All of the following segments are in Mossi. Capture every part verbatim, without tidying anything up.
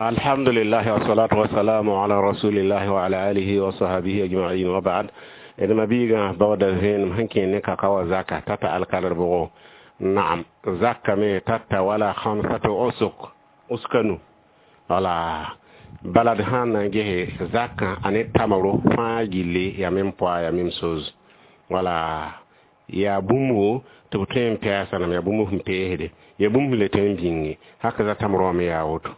Alhamdulillah wassalatu wassalamu ala rasulillah wa ala alihi wa sahbihi ajma'in wa ba'd. D mabiigã baooda vẽenem sẽn kẽ ne kaka wa zaka tata alkalr bʋgo. Naam, zaka me tata wala khamsatu usuk uskanu. Wala bala d sãn na n gese zakã a ne tamro fãa gilli ya même poids, ya même chose. Wala yaa bũmbo tɩ b tõe n pɛɛsa yaa bũmb sẽn peesde, yaa bũmb sẽn le tõe n bĩnge haka za tamrã me yaa woto.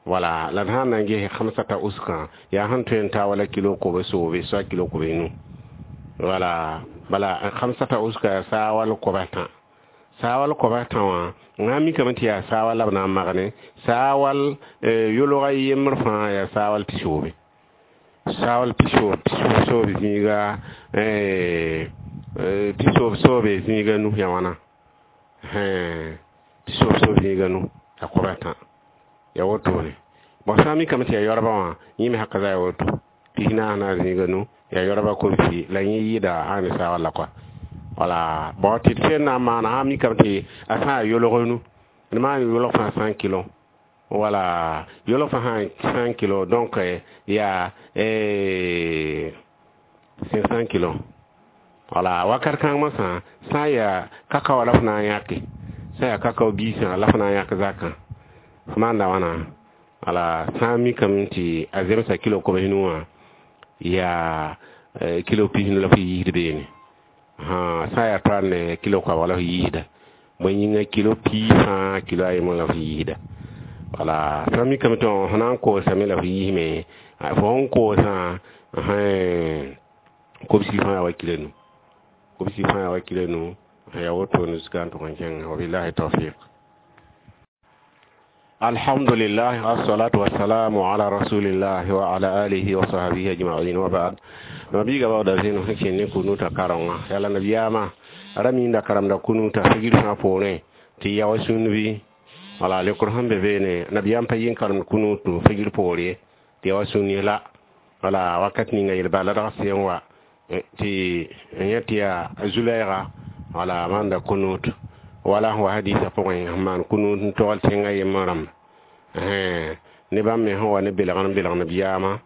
Wala la d sãn na n ges khamsata uskã yaa sẽn tõe n ta wala kilo kobe soobe soa kilo kobe nu. Wala bala khamsata uska yaa saawal koba tã, saawal koba tã wã n mikame tɩ yaa saawal la b na n magne saawal yolga yembr fãa yaa saawal pisoobe, saawal pisoob pisoob soobe zĩiga pisoob soobe zĩiga nu ya wãna, pisoob soob zĩiga nu ya koba tã ya wotone. Bon, sã n mikame tɩ yaa yoabã wã yẽ me haka za ya woto pis naas naas zĩiga nu ya yoabã kobsi la yẽ yɩɩda ãn ne saawal la kɔa. Wala bon, tɩ d tõe n na n maana sã n mikame tɩ a sã n yolg nu d maan yolg fãa cent kilo. Wala yolg fãa cent kilo, donc yaa cinq cents kilo. Wala wakat kãng masã sã n yaa kakao la f na n yãke, sã n yaa kakao biisã la f na n yãk zakã f maanda wãna. Wala sã n mikame tɩ a zemsa kilo kobs nu wã yaa kilo pis nu la f yiisd beene, sã n yaa toaar ne kilo koabg la f yiisda bõe yĩnga kilo piig fãa kilo a yembr la f yiisda. Wala sã n mikame tɩ f na n koosame la f yiisme fo sẽn koosã kobsi fãa yaa wa kilo nu, kobsi fãa yaa wa kilo nu yaa wotone zuka n tʋg n kẽnga. Wabillahi tawfiq. Alhamdulillah wassalatu wassalamu ala rasulillah wa ala alihi wa sahbihi ajma'in wa ba'd. Mabiiga baooda zẽnem sẽn kẽn ne kunuta karenga yaa la nabiyaamã ra minda karemda kunuta figr fãa poorẽ tɩ ya wa sũnd bɩ. Wala lekr sẽn be beene nabiyaam pa yɩ n karemd kunutu figr poor ye tɩ ya wa sũnd ye la. Wala wakat ninga yel-bal ladg sẽn wa tɩ yẽ tɩ yaa Zulaɩga wala maanda kunut wala sẽn wa hadiisã pʋgẽ sẽn maan kunut n togl tẽngã yembr rãmba ne bãmb me sẽn wa ne belgr n belg nabiyaamã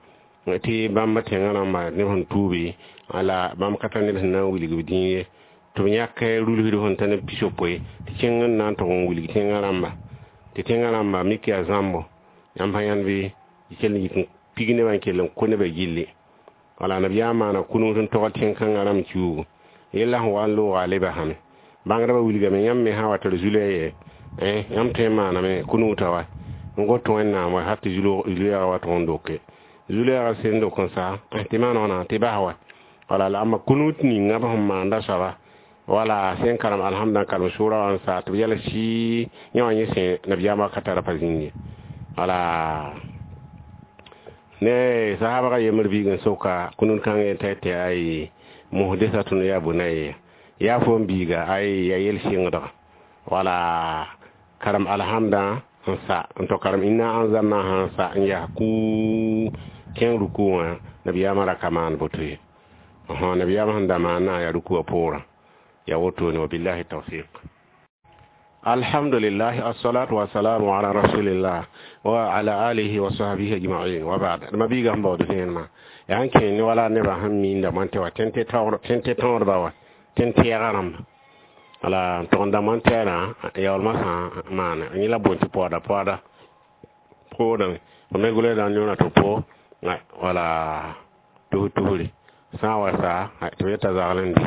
tɩ bãmb tẽngã rãmba neb sẽn tuubi la bãmb ka tar neb sẽn na n wilg b dĩig ye tɩ b yãk rulsd sẽn ta neb pis-yopoe tɩ kẽng n na n tʋg n wilg tẽngã rãmba tɩ tẽngã rãmba mik yaa zãmbo yãmb pa yãnd bɩ kell n yik n pig nebã n kell n kõ nebã gilli. Wala nabiyaam maana kunut n togl tẽn-kãngã rãmb kiuugu yella sẽn wa n looga a le basame bãngdbã wilgame yãmb me sã wa tɩ d zulɛ ye yãmb tõe n maaname kunuta wa n got Wẽnnaam wa hal tɩ zulɛɛga wa tʋg n doke zulɛɛga sẽn dok n sa tɩ maan wãna tɩ bas wa. Wala la amba kunut ninga b sẽn maanda soaba wala sẽn karem alhamda n karem sʋʋra wã n sa tɩ b yɛl sɩ yẽ wã yẽ sẽ nabiyaam wakata ra pa zĩnd ye. Wala ne sahabga yembr biig n soka kunut kãng yen t'a tɩ ay muhdesatun ya bunayya yaa fo n biiga ay ya yel sɩngdga. Wala karem alhamda n sa n tɩ karem inna anzalna sã n sa n yaa kuu kẽng ruku wã nabiyaamã ra ka maan boto ye. Nabiyaamã sẽn da maana yaa ruku wã poorã ya wotone. Wabillahi tawfiq. Alhamdulillah assalatu wassalamu ala rasulillah wa ala alihi wa sahbihi ajma'in wa ba'd. Mabiiga sẽn baood vẽenemã yaa n kẽ ne wala nebã sẽn miinda moãn tɩ wa tẽn tɩ tõodba wa tẽn tɛɛgã rãmba. Wala n tʋg n da moan tɛɛrã yaoolmã sã n maane yẽ la boond tɩ paooda paooda poodame f me gʋlsda n yõna tɩ po wala tus tusre sã n wa sa tɩ b yeta zagl n dɩ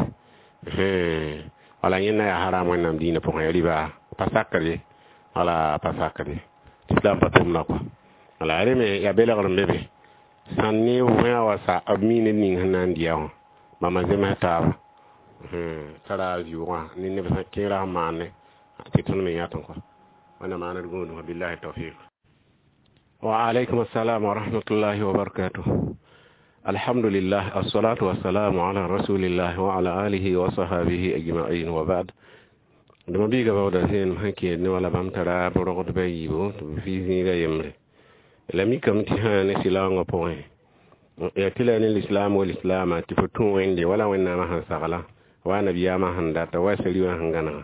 wala yẽnda yaa haram Wẽnnaam diinã pʋgẽ ya rɩba pa sakd ye wala pa sakd ye islam pa tʋmda kɔa. Wala rẽ me yaa belgr n be be sãn ne võe wa sa b mi ned ning sẽn na n dɩa wã bãmba zems taaba tara vɩʋʋgã ne neb sẽn kẽerã sẽn maane tɩ tõnd me yãtẽ kɔa. Wẽnnaam maan d gũudum. Billahi tawfiq. Wa alaykum assalam wa rahmatullahi wa barakatuh. Alhamdulillah assalatu wassalamu ala rasulillah wa ala alihi wa sahbihi ajma'in wa ba'd. Dama biiga baooda zẽenem sẽn kẽed ne wala bãmb tara b rogdbã yiibu tɩ b fɩ zĩiga yembre la mikame tɩ sã ne sɩlaoongã pʋgẽ yaa tɩ la ne lislaam wa lislaama tɩ fo tũ Wẽnde wala Wẽnnaamã sẽn sagla wa nabiyaamã sẽn data wa sari wã sẽn gãnega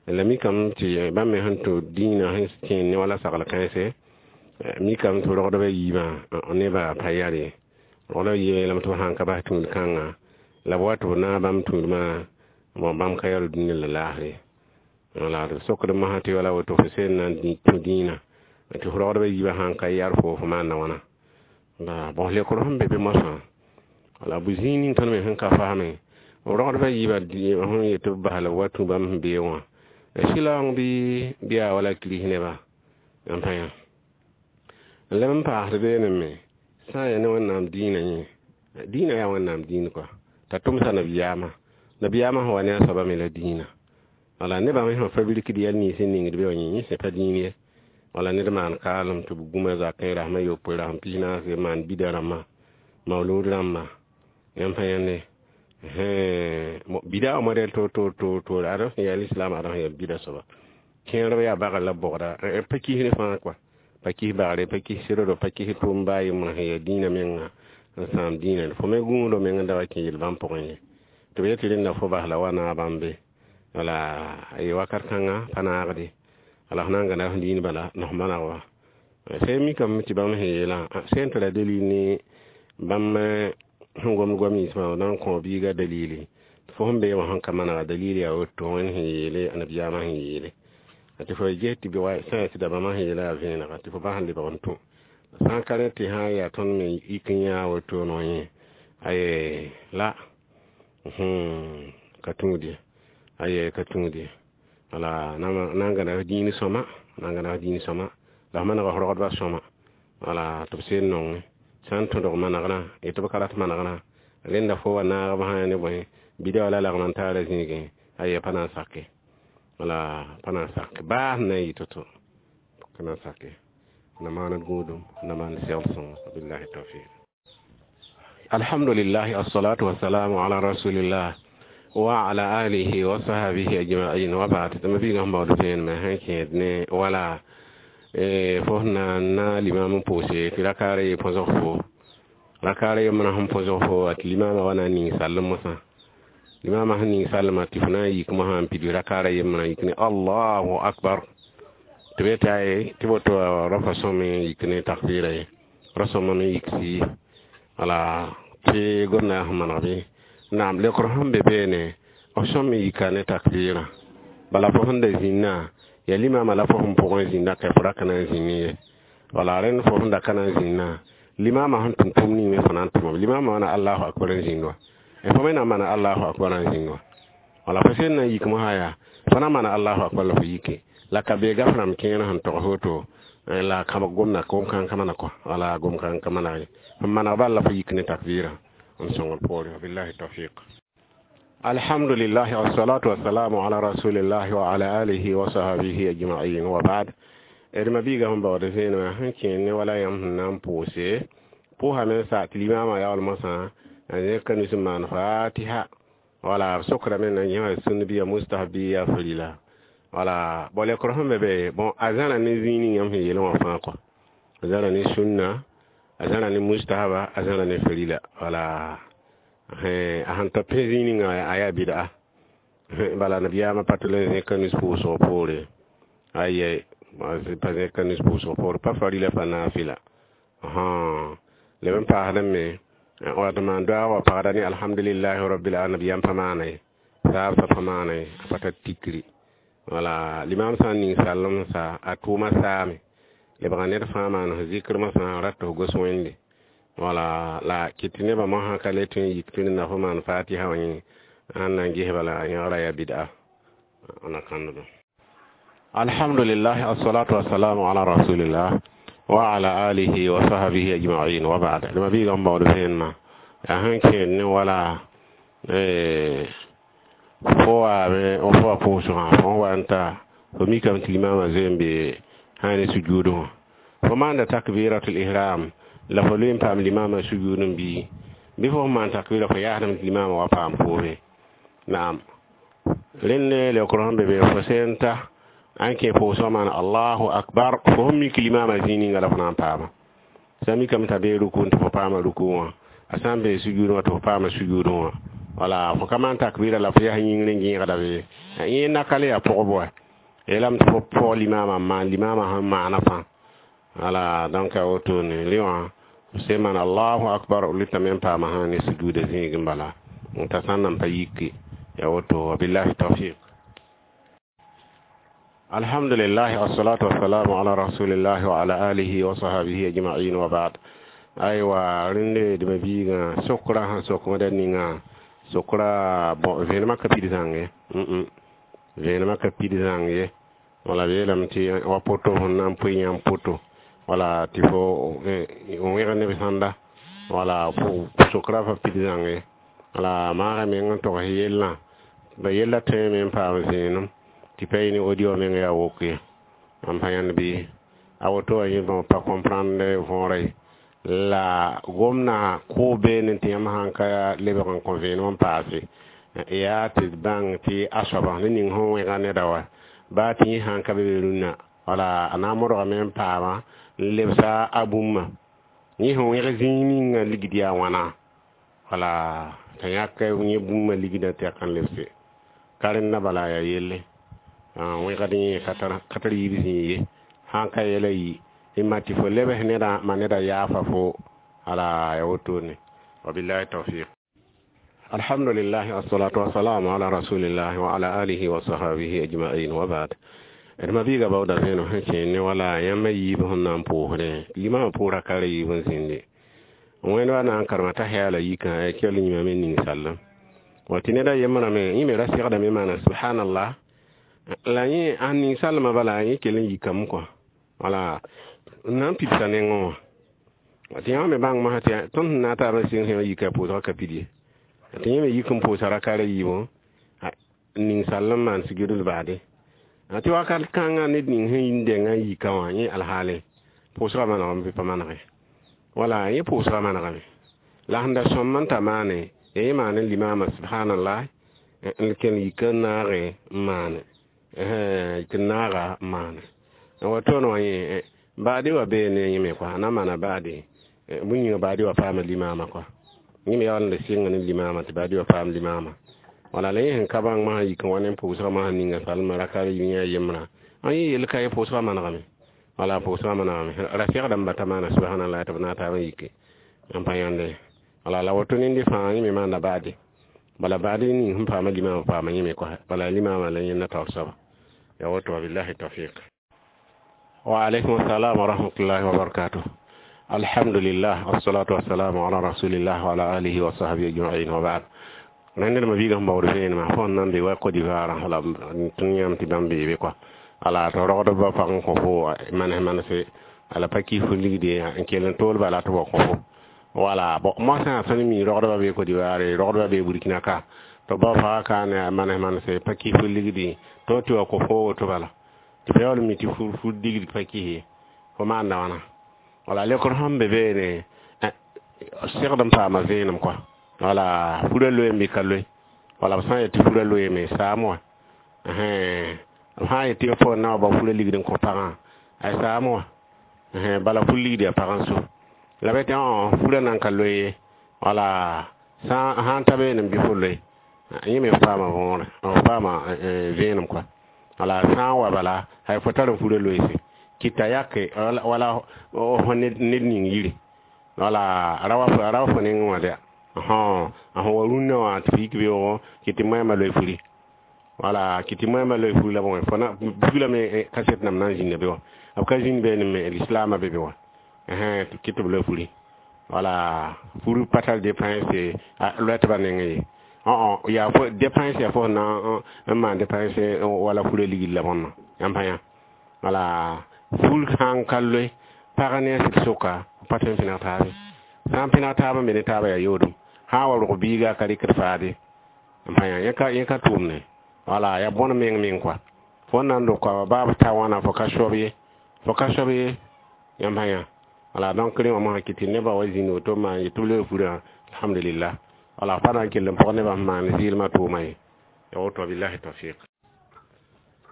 la mikame tɩ bãmb me sẽn tũ dĩinã sẽn kẽen ne wala sagl kãense. Mikame tɩ rogdbã yiibã nebã pa yar ye rogdbã yiibã yeelame tɩ b sãn ka bas tũud kãnga la b wa tɩ b naag bãmb tũudmã bon bãmb ka yar dũniyã la laasre ye wala tɩ b sokd mosã tɩ wala woto fo sẽn na n tũ dĩinã tɩ f rogdbã yiibã sãn ka yar fo fo maanda wãna la bõs leokr sẽn be be mosã wala bu-zĩig ning tõnd me sẽn ka fasme rogdbã yiibã sẽn yet tɩ b bas la b wa tũ bãmb sẽn beoog wã sɩlaoong bɩ bɩ yaa wala kirist nebã n pa yã n leb n paasd beene me sã n yaa ne Wẽnnaam dĩinã yẽ dĩinã yaa Wẽnnaam dĩin kɔa t'a tʋmsa nabiyaamã nabiyaamã sẽn wa ne a soaba me la dĩinã wala nebã me sẽn fabrikd yɛl nins n ningd be wã yẽ yẽ sẽ pa dĩin ye wala ned maan kaalem tɩ b gũma zakẽ rasem a yopoe rasem pis naase maan bida rãmbã maolood rãmba yãmb pa yãnde bida wã modɛl toor toor toor toor ad sẽn yaa lislaam ad sẽn yaa bida soaba kẽerb yaa bagr la bogda pa kis ne fãa kɔa pa kis bagre pa kis sɩddo pa kis tʋʋm baa yembrã sẽn yaa dĩinã menga n sãam dĩinã fo me gũudo meng n da wa kẽ yel bãmb pʋgẽ ye tɩ b yet tɩ rẽnda fo bas la wa naag bãmb be wala ye wakat kãnga pa naagde wala f na n gãnda f dĩin bala la f maneg wa sẽn mikame tɩ bãmb sẽn yeelã sẽn tara dalil ne bãmb sẽn gomd goam ninsbã na n kõ biiga dalili fo sẽn bee wã sẽn ka manega dalil yaa woto Wẽnd sẽn yeele anabiyaamã sẽn yeele tɩ fo ges tɩ sã n yaa sɩda bãmba sẽn yeela yaa vẽenega tɩ fo bas n lebg n tũ sã n ka rẽ tɩ sã n yaa tõnd me yik n yãa woto no yẽ aye la ka tũud ye aye ka tũud ye wala na n gãnda f dĩin sõma na n gãnda f dĩin sõma la f manega f rogdbã sõma wala tɩ b seen nongẽ sã n tõdg manegrã yetɩ b ka rat manegrã rẽnda fo wa naag b sã ne bõe bida wala lagm n taara zĩigẽ aye pa na n sake wala pa na n sake baa sẽn na n yɩ to-to ka na n sake na maand gũudum na maand segl sõngo billahi tawfiq alhamdulillah assalatu wassalamu ala rasulillah wa ala alihi wa sahbihi ajma'in wa ba'd tɩ mabiigã sẽn baood vẽenemã sẽn kẽed ne wala fo sẽn na n na limam n pʋʋse tɩ rakaara ye põsg fo rakaara yembrã sẽn põsg fo tɩ limamã wa na n ning sall mosã limamã sẽn ning sallmã tɩ fo na n yik mosã n pidg rakaara yembrã yik ne allahu akbar tɩ b yeta ye tɩ woto rafa sõm n yik ne takbɩra ye ra-sõma me yik sii wala tɩ gomda sẽn maneg bɩ naam leokr sẽn be beene f sõm me yika ne takbɩrã bala fo sẽn da zĩnnã yaa limamã la fo sẽn pʋgẽ zĩnda ka fo ra ka na n zĩnd ye wala rẽnd fo sẽn da ka na n zĩnnã limamã sẽn tʋm tʋm ning me fo na n tʋmame limamã wa na allahu akbar n zĩnd wa fo me na n maana allahu akbar n zĩnd wa wala fo sẽn na n yik mosã yaa fo na n maana allahu akbar la fo yike la ka bee gaf rãmb kẽer sẽn tog woto la kãbg gomda gom kãng ka maneg kɔ wala gom kãng ka maneg ye n maneg bal la fo yik ne takbɩrã n sõngr poore billahi tawfiq alhamdulillah wassalatu wassalamu ala rasulillahi wa ala alihi wa sahbihi ajma'in wa ba'd d mabiiga sẽn baood vẽenemã sẽn kẽer ne wala yãmb sẽn na n pʋʋse pʋʋsame n sa tɩ limamã yaool mosã n zẽk nus n maan fatiha wala b sokrame na yẽ wã sũnd bɩ ya mustahab bɩ yaa farila wala bon leokr sẽn be be bon a zãra ne zĩig ning yãmb sẽn yeel wã fãa kɔ a zãra ne sũnna a zãra ne mustahaba a zãra ne farila wala a sẽn ta pẽ zĩig ninga a yaa bɩda bala nabiyaamã pa tɩ le zẽka nus pʋʋsg poore aye pa zẽka nus pʋʋsg poore pa farila pa naafɩla leb n paasdame me wat maan doaag wa pagda ne alhamdulillahi rabbil alamin yãmb pa maana ye saabsã pa maana ye a pa tar tikri wala limam sã n ning sallem sa a tʋʋma saame lebga ned fãa maan f zikr mosã rat f gos Wẽnde wala la kɩt tɩ nebã mosã ka le tõe n yik tɩ na fo maan fatiha wã yẽ sãn na n ges bala yẽgra yaa bɩda na kãnddo alhamdulillah assalatu wassalamu ala rasulillah wa ala alihi wa sahbihi ajma'in wa ba'd d mabiigã n baood vẽenemã yaa sẽn kẽed ne wala fo waame fo wa pʋʋsgã fo wa n ta fo mikame tɩ limamã zoe n be sã ne sujuudẽ wã fo maanda takbiratul ihram la fo loe n paam limamã sujuud n bii bɩ fo sẽn maan takbira fo yaasdame tɩ limamã wa paam pʋʋse naam rẽnd leokr sẽn be be fo sẽn ta an kẽ pʋʋsgã maan allahu akbar fo sẽn mik limamã zĩig ninga la fo na n paama sã n mikame t'a bee ruku tɩ fo paama ruku wã a sã n bee sujuudẽ wã tɩ fo paama sujuudẽ wã wala fo ka maan takbira la fo yaa yĩngr n gẽegda be yẽ nakal yaa pʋgb wa yeelame tɩ fo paoog limamã n maan limamã sẽn maana fãa Wala donc a wotone rẽ wã sẽn maan allahu akbar b lʋtame n paama sã ne sujuuda zĩig n bala t'a sã n nan pa yiki ya woto. Wabillahi tawfiq. Alhamdulillah, wassalatu wassalamu ala rasulillah wa ala alihi wa sahbihi ajma'in wa ba'd. Aywa, rẽnde d ma-biigã sokra sẽn sok wẽda ninga sokra. Bon, vẽenemã ka pid zãng ye, vẽenemã ka pid zãng ye. Wala b yeelame tɩ wa poto sẽn na n pʋɩ yãmb poto, wala tɩ fo wẽg neb sãnda, wala sokra fa pid zãng ye. Wala maaga meng n togs yellã ba yella tõeme n paam vẽenem tɩ pa yɩ ne audio meng yaa wok ye. N pa yãnd bɩ a woto wã yẽ pa comprendre võora ye. La gomna kʋʋ beene tɩ yãmb sãn ka lebg n kõ vẽenem n paase, yaa tɩ d bãng tɩ a soaba ne ning sẽn wẽga neda wa baa tɩ yẽ sãn ka be be rũnnã, wala a na n modgame n paama n lebsa a bũmba yẽ sẽn wẽg zĩig ninga ligd yaa wãna, wala t'a yãk yẽ bũmba ligdã tɩ a kan lebse ka rẽnda. Bala yaa yelle wẽgd yẽ ka tar yiib zĩig ye. Sãn ka yɛla yi y ma tɩ fo lebs nedã ma neda yaafa fo, ala ya wotone. Wabillahi tawfiq. Alhamdulillah, assalatu wassalamu ala rasulillah wa ala alihi wa sahbihi ajma'in wa ba'd. D ma-biiga baooda vẽenem sẽn kẽer ne wala yãmb a yiib sẽn na n pʋʋsdẽ limamã pʋʋra ka ra yiib n zĩnde wẽnd wa na n karema t'a yaala yikã kell yĩmame ning sallem wa tɩ ned a yembrame yẽ me ra segdame maana subhanallah la yẽ a ning sallmã bala yẽ kell n yikame kɔ, wala n na n pidsa nengẽ wã tɩ yãmb me bãng mosã tɩ tõnd sẽn na n taab n sɩng sẽn yika pʋʋsgã ka pid ye, tɩ yẽ me yik n pʋʋsa raka ra yiibẽ ning sall n maan sugr baade tɩ wakat kãngã ned ning sẽn n dengã n yika wã yẽ alhaale pʋʋsgã manegame bɩ pa manege, wala yẽ pʋʋsgã manegame. La sẽn da sõm n ta maane ya yẽ maan n limaamã subhanallah n kell yik n naage n maane, yik n naaga n maane wa tõnd wã yẽ baade wa beene yẽ me kɔa a na n maana baade bũmb yĩnga baade wa paama limaamã kɔa yẽ me yaool n da sɩnga ne limaamã tɩ baade wa paam limaamã. Wala la yẽ sẽn ka bãng masã yik n wa ne pʋʋsgã masã ninga salmã raka yẽ a yembrã ã yẽ yell ka ye pʋʋsgã manegame, wala pʋʋsgã manegame ra segdame ba ta maana subhanallah tɩ b na taab n yike n pa yãnde. Wala la woto nende fãa yẽ me maanda baade, bala baade ning sẽn paama limaamã paama yẽ me kɔa, bala limaamã la yẽnda taoor soaba ya woto. Wabillahi tawfiq. Wa alaykum assalam wa rahmatullahi wa barakatuh. Alhamdulillah, wassalatu wassalamu ala rasulillah wa ala alihi wa sahbihi ajma'in wa ba'd. Rẽnd ma biigã sẽn baood vẽenemã fo sẽn na n be wa Côte d'Ivoire la tõnd yãmb tɩ bãmb beebe kɔa, ala tɩ rogdbã pag n kõ fo manes manese ala pa kis fo ligde n kell n tool bala tɩ ba kõ fo. Wala bon, moasã tõnd mi rogdbã be Côte d'Ivoire, rogdbã be Burkina ka tɩ ba faga ka ne manes manese pa kis fo ligde to tɩ wa kõ fo woto, bala tɩ fa yaool mi tɩ fu ligd pa kis ye fo maanda wãna. Wala lekr sẽn be beene segd n paama vẽenem kɔa, wala furã loeem bɩ ka loe, wala b sã n yet tɩ furã loeeme saam wã, b sã n yet tɩ fo na wa bao furã ligd n kõ pagã ay saam wã, bala fur ligd yaa pag n so la b yetɩ furã nan ka loe ye. Wala sã n ta beene bɩ fo loe yẽ me paama võore, b paama vẽenem kɔa. Wala sã n wa bala hay fo tar n furã loeese kɩta yake wala ned ning yiri, wala ra wa fo nengẽ wã dɛ a sẽn wa rũnnã wã tɩ f yik beoogo kɩ tɩ moɛɛmã loe furi, wala kɩ tɩ moɛɛmã loe furi la bõe fo na buglame kaset nam na n zĩnda be wã b ka zĩnd beene me lislaamã be be wã kɩ tɩ b loe furi, wala furi pa tar dépense loɛ tɩ ba nengẽ ye. Yaa fo dépense yaa fo sẽn na n maan dépense wala furã ligd la bõnna yãmb pa yã. Wala fur sã n ka loe pag ne a sɩd soka pa tõe n pẽneg taabe, sã n pẽneg taab n be ne taabã yaa yoodum sã n wa rog biiga ka rɩkd faade n pa yã yẽ ka tʋʋmne, wala yaa bõn meng meng kɔa fo n na n dog koa baa b ta wãna fo ka soab ye, fo ka soab ye yãmb pa yã. Wala donc rẽ wã mosã kɩ tɩ nebã wa zĩnd woto n maan yetɩ b loe furã, alhamdulillah, wala pa na n kell n pʋg nebã sẽn maan zɩɩlmã tʋʋma ye ya woto. Billahi tawfiq.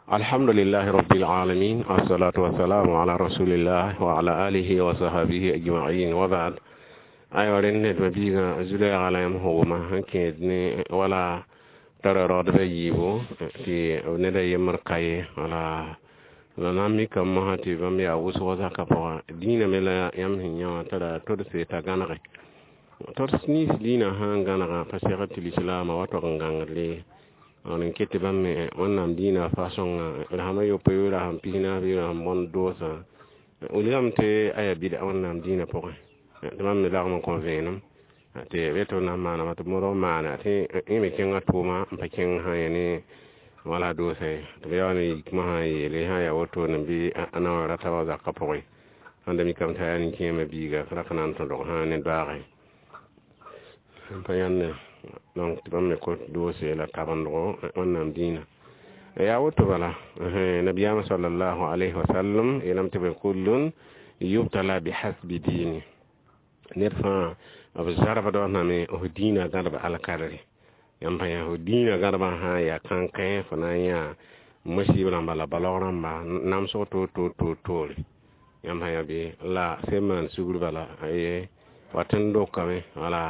Alhamdulillahi rabbil alamin, wassalatu wassalamu ala rasulillah wa ala alihi wa sahbihi ajma'in wa ba'd. Aywa, rẽnd ned ma biigã zulɛɛga la yãmb hʋʋma sẽn kẽed ne wala tara raoodbã yiibu tɩ ned a yembr ka ye, wala La na n mikame mosã tɩ bãmb yaa wʋsg zakã pʋgã dĩinã me la yãmb sẽn yã wã tara todse t'a gãnege tods nins dĩinã sã n gãnegã pa segd tɩ lislaamã wa tog n gãngd n ket tɩ bãmb me Wẽnnaam dĩinã fa-sõngã rasem a yopoe rasem pis-naas bɩ rasem bõnd doosã wilgame tɩ a yaa bɩda Wẽnnaam dĩinã pʋgẽ tɩ bãmb me lagm n kõ vẽenem tɩ b tɩ b na n maaname tɩ b modg n maana tɩ yẽ me kẽnga tʋʋma n pa kẽng sã yẽ ne wala doosã ye tɩ b yaool n yik mosã n yeele sã n yaa wotone bɩ a na wa ra tabg zakã pʋgẽ sẽn da mikame t'a yaa nin-kẽemã biiga ra ka na n tõdg sã ne doaage n pa yãnde donc tɩ bãmb me kot doose la tabendgo Wẽnnaam dĩinã yaa woto bala nabiyaamã sallallahu alayhi wa sallam yeelame tɩ kullun yubtala bihasbi diini ned fãa b zarbd name f dĩinã gãdb alkadre yãmb pa yã f dĩinã gãdbã sã n yaa kãnkẽ fo na n yã masib rãmba la balg rãmba namsg toor toor toor toore yãmb sã yã bɩ la sẽn maan sugr bala wat n dokame wala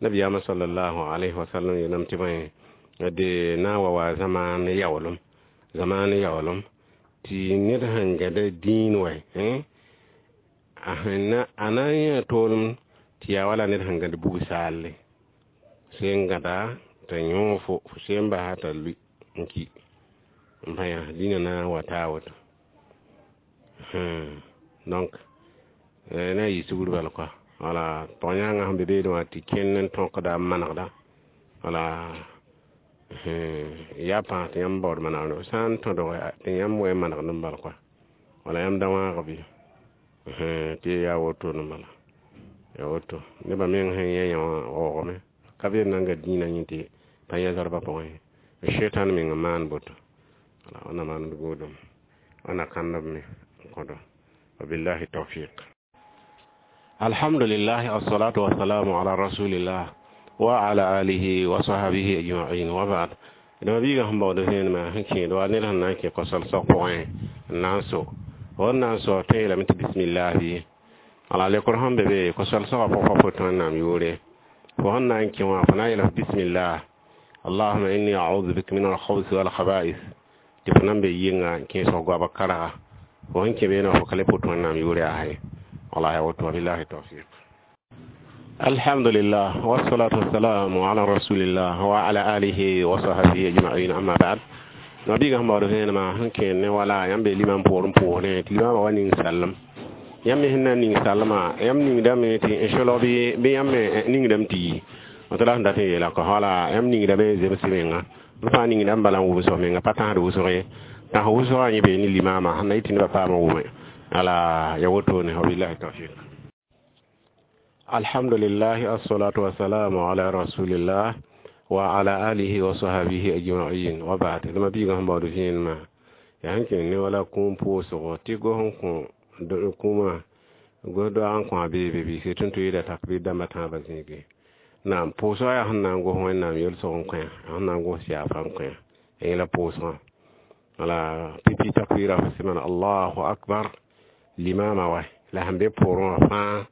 nabiyaamã sallallahu alayhi wa sallam yeelame tɩ bõe de na n wa wa zamaan yaoolem zamaan yaoolem tɩ ned sẽn gãda dĩin wɛ a na n yã toolem tɩ yaa wala ned sẽn gãd bug-saalle sẽn gãda t'a yõog fo fo sẽn basa t'a lui n ki n pa yã dĩnã na n wa taa woto donc na n yɩ sugr bal koa wala pag-yãangã sẽn be beene wã tɩ kẽnd n tõkda n manegda wala yaa pãas tɩ yãmb baood manegd sã n tõdg tɩ yãmb wa manegd n bal koa wala yãmb da wãag bɩ tɩ yaa wotone bala ya woto nebã meng sẽn yã yã wã waoogame ka be n na n ga dĩinã yẽ tɩ pa yã zarbã pʋgẽ shetan meng n maan boto wala wẽnna maan d goodem wẽnna kãnd b me n kõdo wabillahi tawfiq alhamdulillah assalatu wassalamu ala rasulillah wa ala alihi wa sahbihi ajma'in wa ba'd dama biiga sẽn baood vẽenemã sẽn kẽed wa ned sẽn na n kẽ kosal-sag pʋgẽ n na n so fo n na n so tõe yeelame tɩ bismillahi ala lekr sẽn be be kosal-soagã pʋg pa pot Wẽnnaam yʋʋre fo sẽn na n kẽ wã fo na n yeela bismillah allahuma inni a'udhu bika min al-khubuthi wal khaba'ith tɩ fo nan be yɩnga n kẽesg goabg karga fo sẽn kẽ beene fo ka le pʋt Wẽnnaam yʋʋre yaa ye wala ya woto wabillahi tawfiq alhamdulillah wassalatu wassalamu ala rasulillah wa ala alihi wa sahbihi ajma'in amma ba'd nabiga sẽn baood vẽenemã sẽn kẽed ne wala yãmb be limam poor n pʋʋsdẽ tɩ limamã wa ning sallem yãmb me sẽn na n ning sallmã yãmb ningdame tɩ n solg bɩ bɩ yãmb me ningdame tɩ yi tɩ la sẽn dat n yeela kõ wala yãmb ningdame zems menga b fãa ningdame bala n wʋmsg menga pa tãsd wʋsg ye tãs wʋsgã yẽ bee ne limamã sẽn na yɩ tɩ nebã paam n wʋme ala ya wotone wabillahi tawfiq alhamdulillah assalatu wassalamu ala rasulillah wa ala alihi wa sahbihi ajma'in wa ba'd dama biiga sẽn baood vẽenemã yaa sẽn kẽng ne wala kũum pʋʋsgo tɩ gos n kõ kũumã gos doag n kõ a beebe bɩ tɩ n tʋ yeela takbir dãmbã tãabã zĩige naam pʋʋsgã yaa sẽn na n gos Wẽnnaam yelsg n kõ sẽn na n gos yaafa n kõ yẽ la pʋʋsgã wala pipi takbira fo sẽn maan allahu akbar limama wa la sẽn be poorẽ wã fãa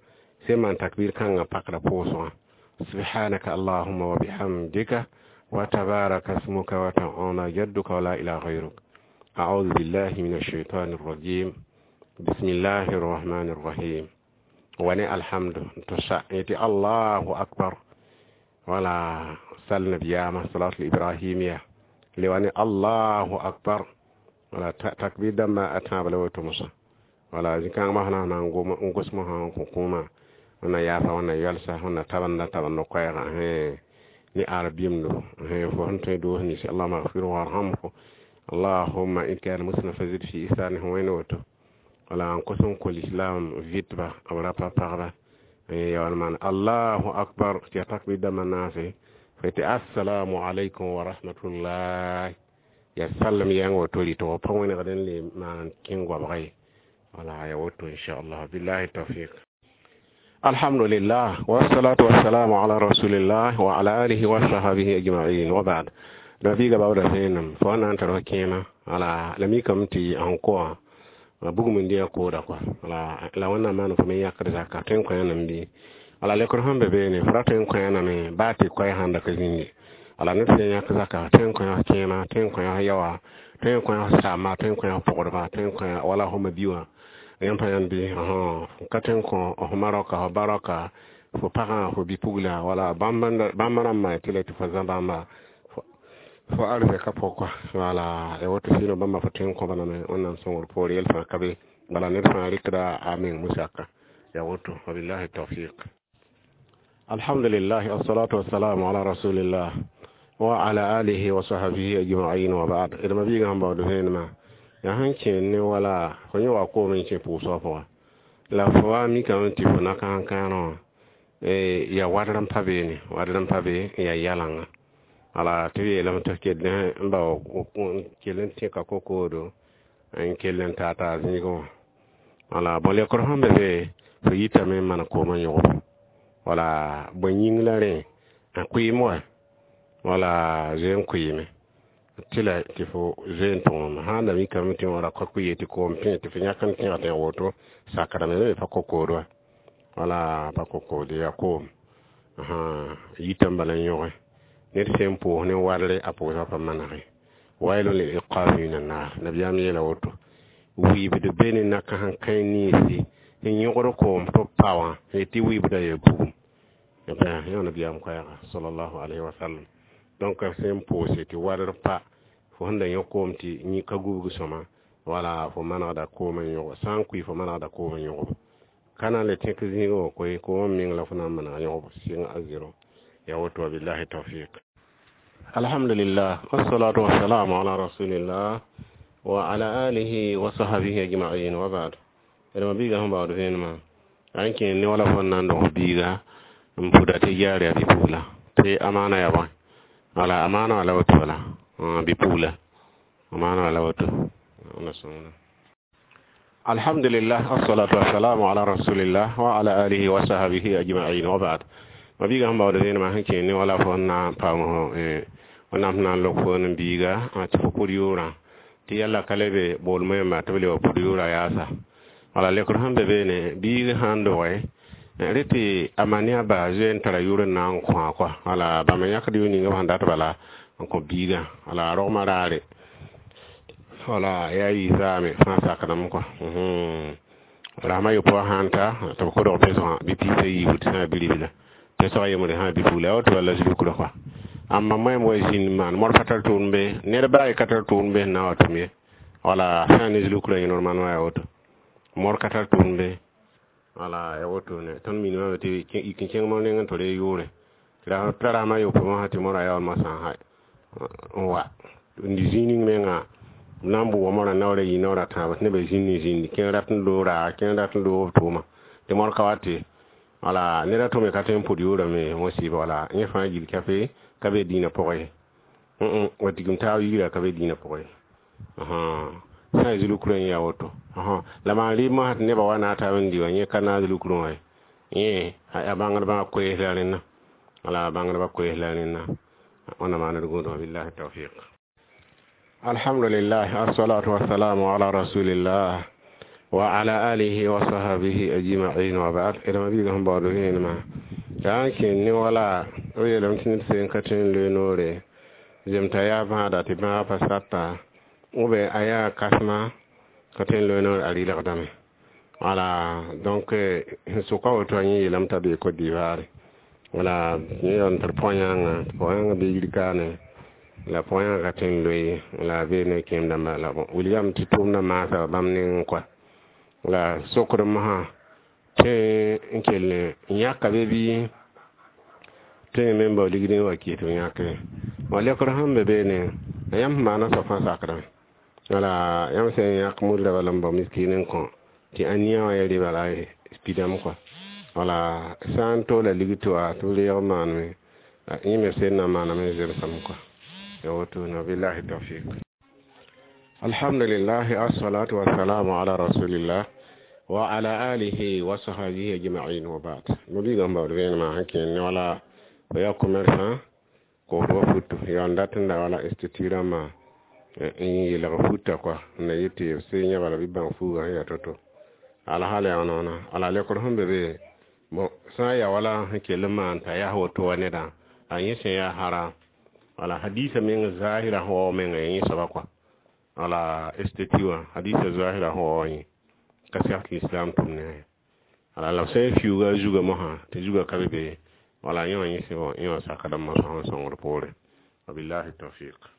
sẽn maan takbir kãngã pakda pʋʋsgã subhanaka allahumma wa bihamdika wa tabaraka ismuka wa ta'ala jadduka wa la ilaha ghayruk a'udhu billahi minash shaitanir rajim bismillahir rahmanir rahim wa ni alhamdu to sa yati allahu akbar wala sal nabiyama salatu ibrahimiya lewani allahu akbar wala takbir dãmba a tãab la woto mosã wala zĩ-kãng sã na n gos mosã n kõ kũumã wẽnna yaafa wẽnna yalsa wẽnna tabenda tabend koɛɛgã ne arabimdo fo sẽn tõe doos nins allahuma agfirhu warhamhu allahumma in kana muslima fazid fi ihsanihi wẽnd woto wala n kos n kõ lislaam vɩtba b rapa pagba yaool maan allahu akbar tɩ ya takbir dãmbã naase fo tɩ assalamu alaikum wa rahmatullah ya sallam yãng woto rɩtg pa wẽnegd n le maan kẽng goabga ye wala ya woto inchallah billahi tawfiq alhamdulillah wassalatu wassalamu ala rasulillah wa ala alihi wa sahbihi ajma'in wa ba'd nabiga bawda vẽenem fo na n tar kẽema wala la mikame tɩ sẽn kõ bugum n dɩ kooda kɔa wala la wẽnnaam maan fo me yãkd zaka tõe n kõ yãnam bɩ wala lekr sẽn be beene fo ra tõe n kõ yãname baa tɩ koɛɛ sãn da ka zĩnge wala ned sẽn yãk zaka tõe n kõ yã kẽema tõe n kõ yã yaoa Tõe n kõ f saamba, tõe n kõ f pɔgdba, tõe n kõ wala fo ma-bi wã. Yãmb pa yãnd bɩ ka tõe n kõ f ma raoka, f ba raoka, fo pagã, fo bi-pugla, wala bãmb rãmbã tɩ la tɩ fo zã bãmba fo arzɛka pʋgẽ. Wala ya woto sɩɩnã bãmba fo tõe n kõ lame Wẽnnaam sõngr poore yɛl fãa ka be. Bala ned fãa rɩkda a meng musaka, ya woto. Wabillahi tawfiq. Alhamdulillah, assalatu wassalamu ala rasulillah wa ala alihi wa sahbihi ajma'in wa ba'd. D ma-biigã sẽn baood vẽenemã yaa sẽn kẽer ne wala fo yẽ wa koom n kẽ pʋʋsgã pʋga la fo wa mikame tɩ fo nakãan kãerã wã yaa wadr n pa beene, wadr n pa be n yaa yalãnga. Wala tɩ b yeelame tɩ f kell n bao kell n tẽka kokoodo n kell n taa taa zĩigẽ wã. Wala bõ lekr sẽn be be fo yitame n maan koomã yõgb. Wala bõe yĩng la rẽ a kʋɩɩm wa wala zoe n kʋɩɩme tɩ la tɩ fo zoe n tõgem sã n da mikame tɩ wã ra ka kʋɩ tɩ koom pẽ tɩ fo yãk n tẽg tɩ woto sakdame me pa kokood wa, wala pa kokood yaa koom yitame bala n yõge. Ned sẽn pʋʋs ne wadre a pʋʋsga pa manege. Wailun lil iqabi min annar, nabiyaam yeela woto. Wɩɩbd be ne nakãs n kãe ninsi n yõgd koom tɩ b pa wã tɩ wɩɩbda yaa bugum. Yã nabiyaam koɛɛga sallallahu alayhi wa sallam. Donc sẽn pʋʋse tɩ wadr pa fo sẽn da yõ koom tɩ yĩ ka gubg sõma, wala fo manegda koom n yõg, sã n kʋɩ fo manegda koom n yõgb. Ka na n le tẽk zĩigẽ wã koe koomã meng la fo na n maneg yõgb sɩng a zero, ya woto. Wabillahi tawfiq. Alhamdulillah, wassalatu wassalamu ala rasulillah wa ala alihi wa sahbihi ajma'in wa ba'd. D ma-biigã sẽn baood vẽenemã a n kẽer ne wala fo n na n dog biiga n pʋda tɩ yaar yaa bi-pugla tɩ amaana yaa bõe. Wala amaana wã la woto, bala bi-pugla amaana wã la woto. Alhamdulillah, assalatu wassalamu ala rasulillah wa ala alihi wa sahbihi ajma'in wa ba'd. Ma-biigã sẽn baood vẽenemã sẽn kẽer ne wala fo n na n paam wẽnnaam sẽn na n lok fo n biiga tɩ fo pʋd yʋʋrã tɩ yalla ka le be boolmã yãmba tɩ b le wa pʋd yʋʋra yaasa. Wala lekr sẽn be beene biig sã n doge rẽ tɩ a ma ne a ba zoe n tara yʋʋr n na n kõ kɔa. Wala bãmb n yãkd yʋʋr ninga b sẽn dat bala n kõ biigã, wala a rogmã raare, wala yaa yɩ zaame fãa sakdame kɔa. Rasmã yopoe sã n ta tɩ b kodg pesgã bɩ piis a yiibu tɩ sã n biribla pesgã yembre sã bi-pugla ya woto bala zulkrã kɔa. Ãmba moɛɛm wa zĩnd n maan mor pa tar tʋʋm be, ned baa ye ka tar tʋʋm be sẽn na n wa tʋm ye. Wala sã n ne zulkrã yẽ normalement yaa woto mor ka tar tʋʋm be. Wala ya woto ne tõnd minimame tɩ yik n kẽng mor nengẽ tɩ ree yʋʋre t'a rasmã yopoe mosã tɩ morã yaool mosã n wa n zĩig ning menga b na n bʋʋga morã naoor a yi naoor a tãab tɩ nebã zĩnd n zĩndi kẽer rat n loog raaga kẽer rat n loog b tʋʋma tɩ mor ka wa tɩ wala ned a tʋme ka tõe n pʋd yʋʋrame mosɩɩba. Wala yẽ fãa gill ka be ka be dĩinã pʋgẽ ye, wa tigim taab yigrã ka be dĩinã pʋgẽ ye sã n zulkrã yẽ yaa woto. La maan rɩɩb mosã tɩ nebã wa na taab n dɩ wã yẽ ka naag zulkrã wã ye, yẽ a bãngdbã koees la rẽnna, wala bãngdbã koees la rẽnna. Wẽnnaam maan d gũudã. Billahi tawfiq. Alhamdulillah, assalatu wassalamu ala rasulillah wa ala alihi wa sahbihi ajma'in wa ba'd. D ma-biigã sẽn baood vẽenemã yaa n kẽer ne wala b yeelame tɩ ned sẽn ka tõe n loe noore zem t'a yaa bãada tɩ bãagã pa sata ou bien a yaa kasma ka tõe n loe noor a rɩlgdame. Wala donc sẽn sʋka woto a yẽ yeelame t'a bee Côte d'Ivoire. Wala yẽ yaool n tar pɔyãngã tɩ pɔyãngã bee yir kaane la pɔyãngã ka tõe n loe la a bee ne kẽem dãmba la bon wilgame tɩ tʋʋmdã maasa bãmb nengẽ kɔa. La sokd mosã tõe n kell n yãka be bɩ tõe n me n bao ligd n wa kɩs tɩ b yãke wa lekr sẽn be beene yãmb sẽn maana soab fãa sakdame. Wala yãmb sẽn yãk mudra bala n bao miskin n kõ tɩ ania wã ya rɩ bala pidame kɔa. Wala sã n toola ligd tɩ wa tɩ b reeg maaneme yẽ me sẽn na n maaname zemsame kɔa, ya woto na. Billahi tawfiq. Alhamdulillah, assalatu wassalamu ala rasulillah wa ala alihi wa sahbihi ajma'in wa ba'd. Ma-biigã sẽn baood vẽenemã sẽn kẽer ne wala fo yaa commerçant koosd wa futu yaa n dat n da wala institut rãmbã n yelg futa kɔa n na yet tɩ b sẽn yã bala bɩ bãng fuugã sẽn yaa to-to alhaal yaa noona. Ala lekr sẽn be be bon sã n yaa wala sẽn kell n maan t'a yaa woto wa nedã a yẽ sẽn yaa hara wala hadisa meng zahira sẽn wao menga yẽ soaba kɔa. Wala esthétique wã hadisa zoasra sẽn wa yẽ ka sɛg tɩ lislaam tʋm ne wala la b sã n fiuuga a zugã mosã tɩ zugã ka be be wala yẽ wã yẽ yẽ wã sakdame sã n sõngd poore. Wabillahi tawfiq.